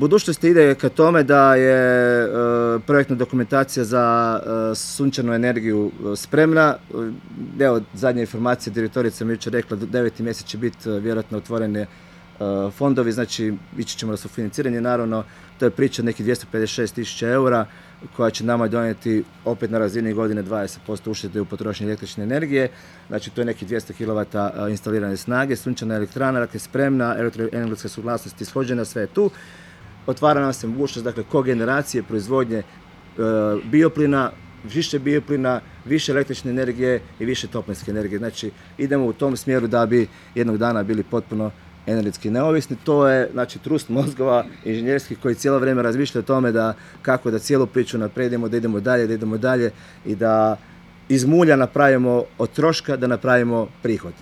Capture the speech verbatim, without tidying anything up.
Budućnost ide ka tome da je uh, projektna dokumentacija za uh, sunčanu energiju uh, spremna. Uh, evo, zadnja informacija, direktorica mi je jučer rekla da deveti mjesec će biti uh, vjerojatno otvorene uh, fondovi, znači ići ćemo na sufinanciranje, naravno to je priča nekih dvjesto pedeset šest tisuća eura koja će nama donijeti opet na razini godine dvadeset posto uštede u potrošnji električne energije, znači to je nekih dvjesto kilovata uh, instalirane snage, sunčana elektrana, dakle spremna, elektroenergetska suglasnost ishođena, sve je tu. Otvara nam se mogućnost, dakle, kogeneracije, proizvodnje e, bioplina, više bioplina, više električne energije i više toplinske energije. Znači, idemo u tom smjeru da bi jednog dana bili potpuno energetski neovisni. To je, znači, trust mozgova inženjerskih koji cijelo vrijeme razmišljaju o tome da kako da cijelu priču napredimo, da idemo dalje, da idemo dalje i da iz mulja napravimo od troška da napravimo prihod.